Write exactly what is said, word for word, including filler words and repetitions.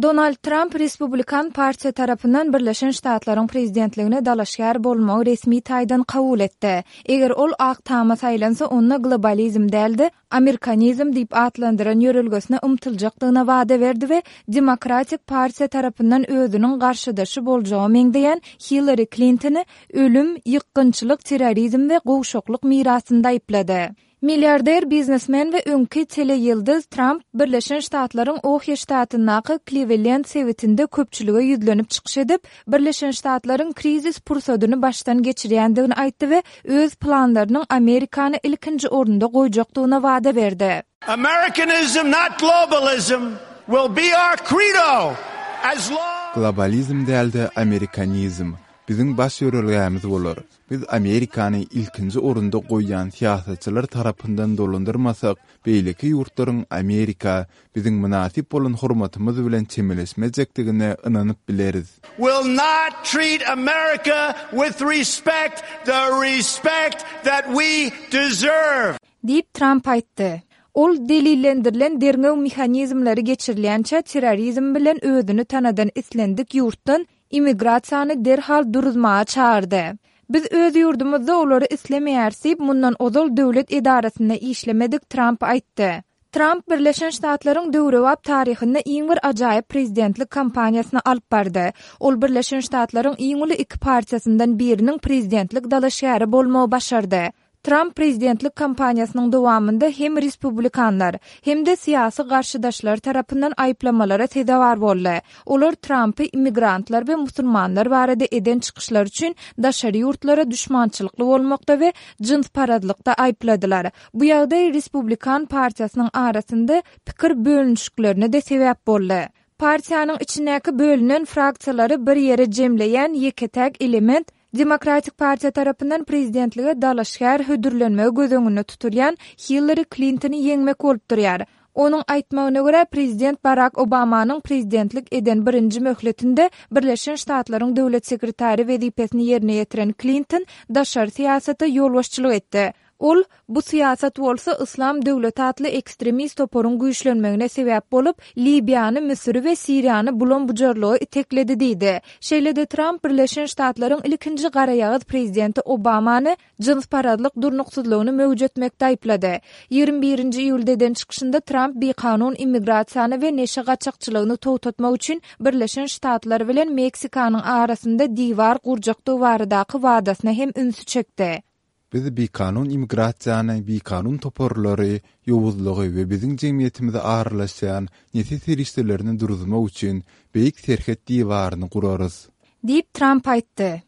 Donald Tramp Respublikan partiýa tarapyndan Birleşen Ştatlaryň prezidentligine dalaşgär bolmagy resmi taýdan kabul etdi. Eger ol Ak Tama saýlansa, onda globalizm däl-de, amerikanizm diýip atlandyran ýörelgesine ymtyljakdygyna wada berdi we Demokratik partiýa tarapyndan özüniň garşydaşy boljaga meňzeýän Hillary Klintony ölüm, ýykgynçylyk, terrorizm we gowşaklyk mirasynda aýyplady. Milliarder biznesmen we öňki teleýyldyz Tramp Birleşen Ştatlaryň Ohio ştatyndaky Kliwlend sebitinde köpçülige ýüzlenip çykyş edip, Birleşen Ştatlaryň krizis pursadyny başdan geçirýändigini aýtdy we öz planlarynyň Amerikany ilkinji orunda goýjakdygyna wada berdi. Americanism, not globalism, will be our credo as long Globalizm däl-de amerikanizm biziň baş ýörelgämiz bolar. Biz Amerikany ilkinji orunda goýýan syýasatçylar tarapyndan dolandyrmasak, beýleki ýurtlaryň Amerika biziň mynasyp bolan hormatymyz bilen çemeleşmejekdigine ynanyp bileris. will not treat America with respect, the respect that we deserve. Diýip Tramp aýtdy. Ol delillendirilen derňew mehanizmleri geçirilýänçä terrorizm bilen özüni tanadan islendik ýurtdan immigrasiýany derhal duruzmaga çagyrdy. Biz öz ýurdumyzda olary islemeýäris diýip, mundan ozal döwlet edarasynda işlemedik Tramp aýtdy. Tramp Birleşen Ştatlaryň döwrebap taryhynda iň bir ajaýyp prezidentlik kampaniýasyny alyp bardy. Ol Birleşen Ştatlaryň iň uly iki partiýasyndan biriniň prezidentlik dalaşgäri bolmagy başardy. Tramp prezidentlik kampaniýasynyň dowamynda hem respublikanlar, hem-de syýasy garşydaşlar tarapyndan aýyplamalara sezewar boldy. Olar Trampy immigrantlar we musulmanlar barada eden çykyşlary üçin daşary ýurtlara düşmançylykly bolmakda we jynsparazlykda aýypladylar. Bu ýagdaý Respublikan partiýasynyň arasynda pikir bölünişiklerine de sebäp boldy. Partiýanyň içindäki bölünen fraksiýalary bir ýere jemleýän ýeke-täk element Demokratik partiýa tarapyndan prezidentlige dalaşgär hödürlenmegi göz öňünde tutulýan Hillary Klintony ýeňmek bolup durýar. Onuň aýtmagyna görä prezident Barack Obamanyň prezidentlik eden birinji möhletinde Birleşen Ştatlaryň döwlet sekretary wezipesini ýerine ýetiren Klinton daşary syýasata ýolbaşçylyk etdi. Ol bu syýasat bolsa Yslam döwleti atly ekstremist toparyň güýçlenmegine sebäp bolup, Libiýany, Müsüri we Siriýany bulam-bujarlyga itekledi diýdi. Şeýle-de Tramp Birleşen Ştatlaryň ilkinji garaýagyz prezidenti Obamany jynsparazlyk durnuksyzlygyny möwjetmekde aýyplady. Ýigrimi birinji iýulda eden çykyşynda Tramp bikanun immigrasiýany we neşe gaçakçylygyny togtatmak üçin Birleşen Ştatlar bilen Meksikanyň arasynda diwar gurjakdygy baradaky wadasyna hem ünsi çekdi. Biz bikanun immigrasiýany, bikanun toparlary, ýowuzlygy we biziň jemgyýetimize aralaşýan neşe serişdelerini duruzmak üçin beýik serhet diwaryny gurarys. Diýip Tramp aýtdy.